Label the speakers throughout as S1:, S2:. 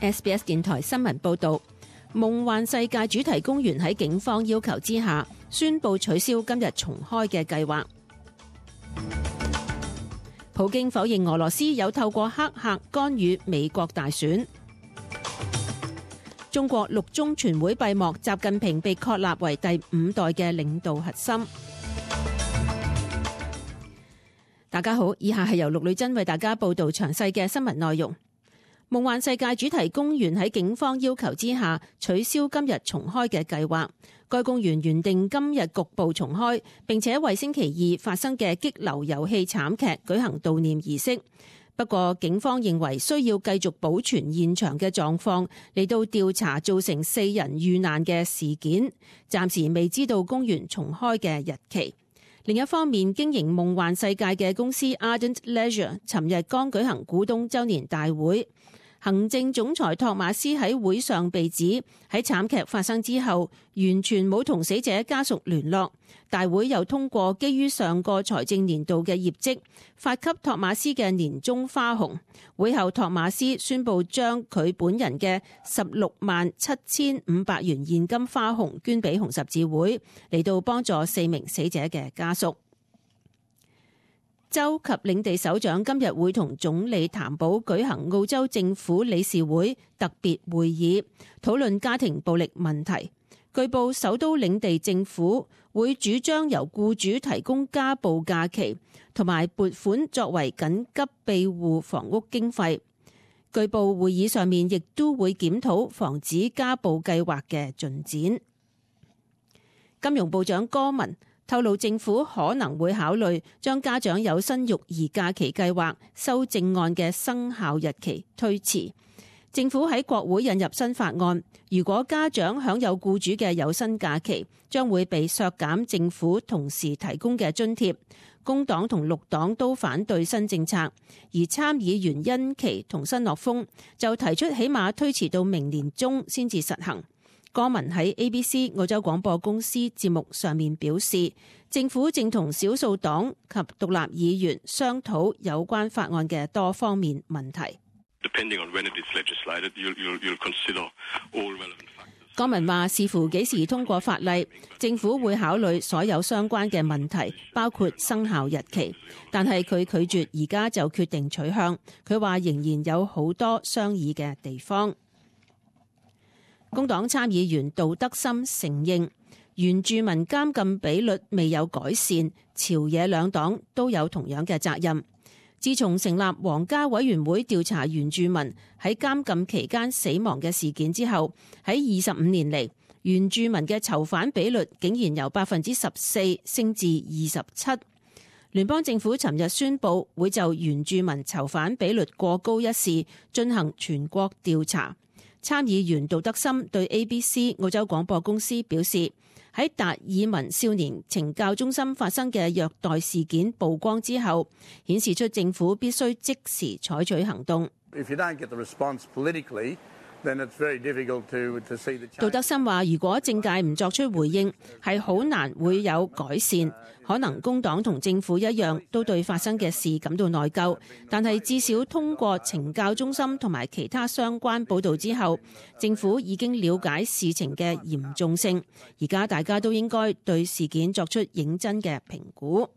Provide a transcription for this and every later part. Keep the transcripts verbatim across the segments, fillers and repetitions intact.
S1: S B S 電台新聞報導，夢幻世界主題公園喺警方要求之下，宣布取消今日重開嘅計劃。普京否認俄羅斯有透過黑客干預美國大選。中國六中全會閉幕，習近平被確立為第五代嘅領導核心。大家好，以下係由陸女真為大家報道詳細嘅新聞內容。夢幻世界主題公園喺警方要求之下取消今日重開嘅計劃。該公園原定今日局部重開，並且為星期二發生嘅激流遊戲慘劇舉行悼念儀式。不過警方認為需要繼續保存現場嘅狀況，嚟到調查造成四人遇難嘅事件。暫時未知道公園重開嘅日期。另一方面，經營夢幻世界嘅公司 Ardent Leisure 尋日剛舉行股東周年大會。行政總裁托馬斯喺會上被指喺慘劇發生之後完全冇同死者家屬聯絡。大會又通過基於上個財政年度嘅業績，發給托馬斯嘅年終花紅。會後托馬斯宣布將佢本人嘅十六萬七千五百元現金花紅捐俾紅十字會，嚟到幫助四名死者嘅家屬。州及領地首長今日會同總理譚寶舉行澳洲政府理事會特別會議，討論家庭暴力問題。據報首都領地政府會主張由僱主提供家暴假期，同埋撥款作為緊急庇護房屋經費。據報會議上面亦都會檢討防止家暴計劃嘅進展。金融部長戈文透露，政府可能會考慮將家長有薪育兒假期計劃修正案嘅生效日期推遲。政府喺國會引入新法案，如果家長享有僱主嘅有薪假期，將會被削減政府同時提供嘅津貼。工黨同綠黨都反對新政策，而參議員恩琪同新諾豐就提出起碼推遲到明年中先至實行。戈文喺 A B C 澳洲廣播公司節目上面表示，政府正同少數黨及獨立議員商討有關法案嘅多方面問題。戈文話，視乎幾時通過法例，政府會考慮所有相關嘅問題，包括生效日期。但係佢拒絕而家就決定取向。佢話仍然有好多商議嘅地方。工黨參議員杜德森承認原住民監禁比率未有改善，朝野兩黨都有同樣嘅責任。自從成立皇家委員會調查原住民喺監禁期間死亡嘅事件之後，喺二十五年嚟，原住民嘅囚犯比率竟然由百分之十四升至二十七。聯邦政府尋日宣布會就原住民囚犯比率過高一事進行全國調查。參議員杜德森對 A B C 澳洲廣播公司表示，喺達爾文少年懲教中心發生嘅虐待事件曝光之後，顯示出政府必須即時採取行動。杜德森話，如果政界唔作出回應，係好難會有改善。可能工黨同政府一樣，都對發生嘅事感到內疚，但係至少通過懲教中心同埋其他相關報導之後，政府已經了解事情嘅嚴重性。而家大家都應該對事件作出認真嘅評估。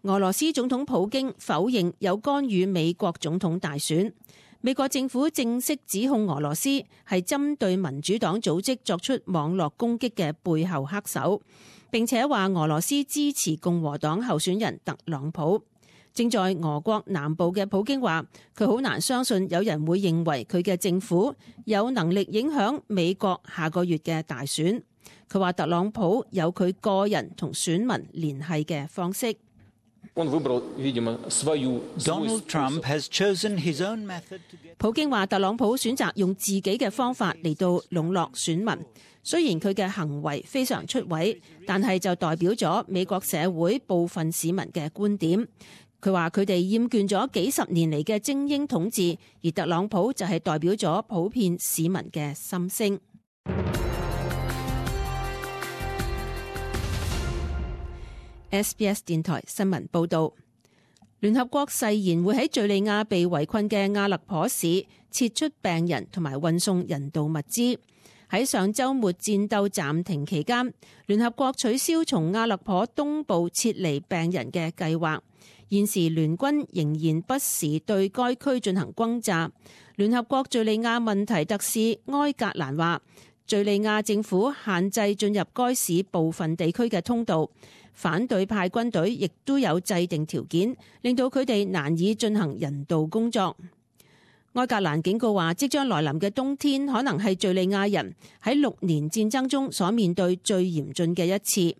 S1: 俄羅斯總統普京否認有干預美國總統大選。美國政府正式指控俄羅斯係針對民主黨組織作出網絡攻擊嘅背後黑手，並且話俄羅斯支持共和黨候選人特朗普。正在俄國南部嘅普京話，佢好難相信有人會認為佢嘅政府有能力影響美國下個月嘅大選。佢話特朗普有佢個人同選民聯繫嘅方式。普京話特朗普選擇用自己嘅方法嚟到籠絡選民，雖然佢嘅行為非常出位，但係就代表咗美國社會部分市民嘅觀點。佢話佢哋厭倦咗幾十年嚟嘅精英統治，而特朗普就係代表咗普遍市民嘅心聲。S B S 電台新聞報道，聯合國誓言會喺敘利亞被圍困嘅阿勒頗市撤出病人同埋運送人道物資。喺上週末戰鬥暫停期間，聯合國取消從阿勒頗東部撤離病人嘅計劃。現時聯軍仍然不時對該區進行轟炸。聯合國敘利亞問題特使埃格蘭話，敘利亞政府限制進入該市部分地區嘅通道，反對派軍隊亦都有制定條件，令到佢哋難以進行人道工作。埃格蘭警告話，即將來臨嘅冬天可能係敘利亞人喺六年戰爭中所面對最嚴峻嘅一次。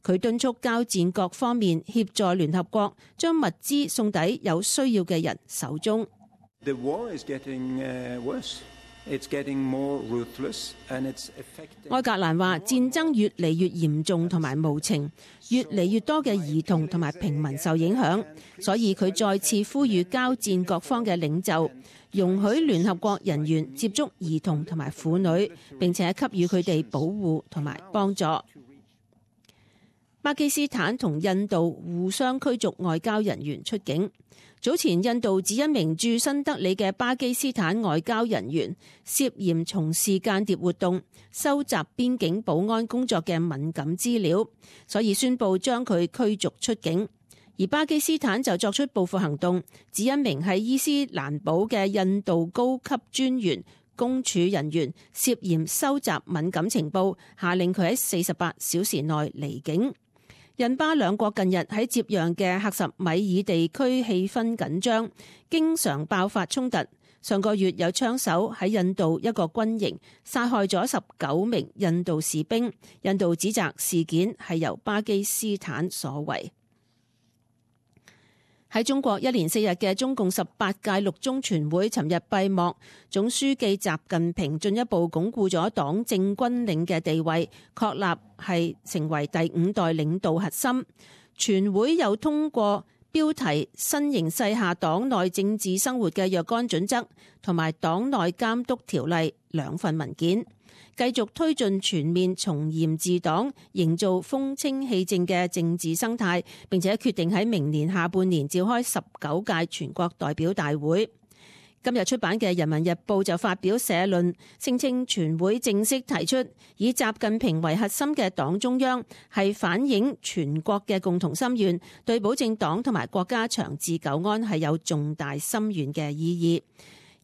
S1: 佢敦促交戰各方面協助聯合國將物資送抵有需要嘅人手中。
S2: The war is getting, uh, worse. It's getting more ruthless, and it's affecting...
S1: 埃格蘭話，戰爭越嚟越嚴重同埋無情，越嚟越多嘅兒童同埋平民受影響，所以佢再次呼籲交戰各方嘅領袖容許聯合國人員接觸兒童同埋婦女，並且給予佢哋保護同埋幫助。巴基斯坦同印度互相驅逐外交人員出境。早前印度指一名駐新德里嘅巴基斯坦外交人員涉嫌從事間諜活動，收集邊境保安工作嘅敏感資料，所以宣布將佢驅逐出境。而巴基斯坦就作出報復行動，指一名喺伊斯蘭堡嘅印度高級專員公署人員涉嫌收集敏感情報，下令佢喺四十八小時內離境。印巴兩國近日喺接壤嘅克什米爾地區氣氛緊張，經常爆發衝突。上個月有槍手喺印度一個軍營殺害咗十九名印度士兵，印度指責事件係由巴基斯坦所為。喺中國一連四日嘅中共十八屆六中全會尋日閉幕，總書記習近平進一步鞏固咗黨政軍領嘅地位，確立係成為第五代領導核心。全會又通過標題新形勢下黨內政治生活嘅若干準則同埋黨內監督條例兩份文件，繼續推進全面從嚴治黨，營造風清氣正嘅政治生態，並且決定喺明年下半年召開十九屆全國代表大會。今日出版嘅《人民日報》就發表社論，聲稱全會正式提出以習近平為核心嘅黨中央係反映全國嘅共同心願，對保證黨同埋國家長治久安係有重大深遠嘅意義。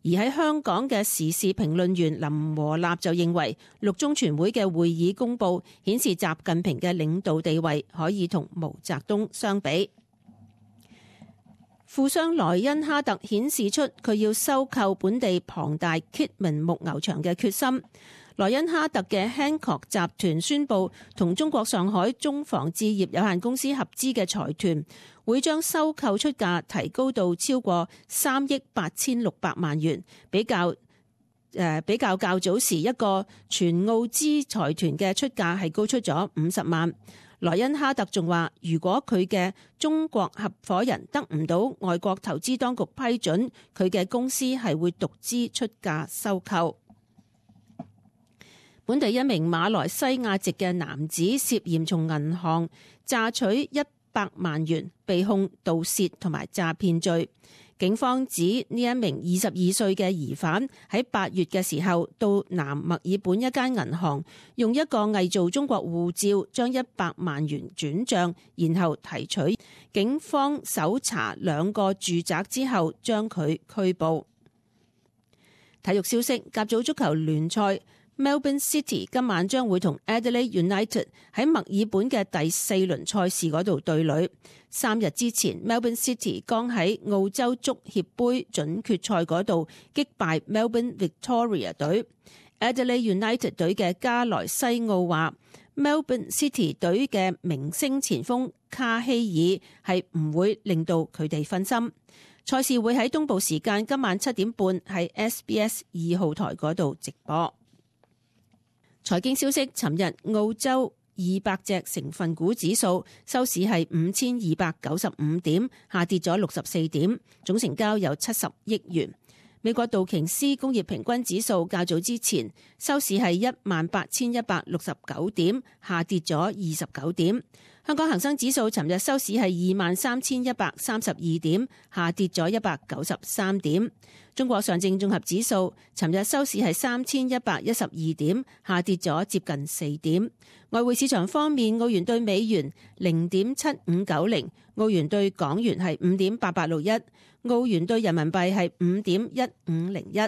S1: 而喺香港嘅時事評論員林和立就認為，六中全會嘅會議公報顯示習近平嘅領導地位可以同毛澤東相比。富商萊恩哈特顯示出佢要收購本地龐大 Kidman 牧牛場嘅決心。萊恩哈特嘅 Hancock 集團宣布同中國上海中防置業有限公司合資嘅財團會將收購出價提高到超過三億八千六百萬元，比較誒、呃、比較較早時一個全澳資財團嘅出價係高出咗五十萬。萊恩哈特仲話，如果佢嘅中國合夥人得唔到外國投資當局批准，佢嘅公司係會獨資出價收購。本地一名馬來西亞籍嘅男子涉嫌從銀行詐取一百萬元，被控盜竊同埋詐騙罪。警方指呢一名二十二歲嘅疑犯喺八月嘅時候到南墨爾本一間銀行，用一個偽造中國護照將一百萬元轉賬，然後提取。警方搜查兩個住宅之後，將佢拘捕。體育消息：甲組足球聯賽，Melbourne City 今晚將會同 Adelaide United 喺墨爾本嘅第四輪賽事嗰度對壘。三日之前 Melbourne City 剛喺澳洲足協杯準決賽嗰度擊敗 Melbourne Victoria 隊。Adelaide United 隊嘅加萊西奧話 Melbourne City 隊嘅明星前鋒卡希爾係唔會令到佢哋分心。賽事會喺東部時間今晚七點半喺 S B S 二號台嗰度直播。財經消息：尋日澳洲二百隻成分股指數收市係五千二百九十五點，下跌咗六十四點，總成交有七十億元。美國道瓊斯工業平均指數較早之前收市係一萬八千一百六十九點，下跌咗二十九點。香港恒生指數尋日收市係二萬三千一百三十二點，下跌咗一百九十三點。中國上證綜合指數尋日收市係三千一百一十二點，下跌咗接近四點。外匯市場方面，澳元對美元零點七五九零，澳元對港元係五點八八六一，澳元對人民幣係五點一五零一。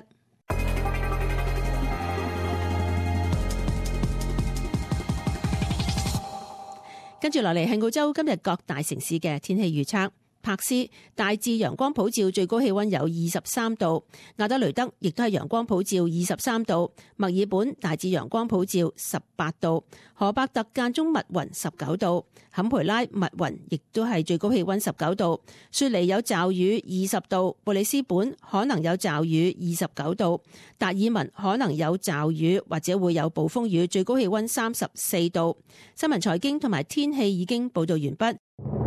S1: 跟住落嚟係澳洲今日各大城市嘅天氣預測。柏斯大致陽光普照，最高氣溫有二十三度；亞德雷德亦都係陽光普照，二十三度；墨爾本大致陽光普照，十八度；荷伯特間中密雲，十九度；坎培拉密雲，亦都係最高氣溫十九度；雪梨有驟雨，二十度；布里斯本可能有驟雨，二十九度；達爾文可能有驟雨或者會有暴風雨，最高氣溫三十四度。新聞財經同埋天氣已經報道完畢。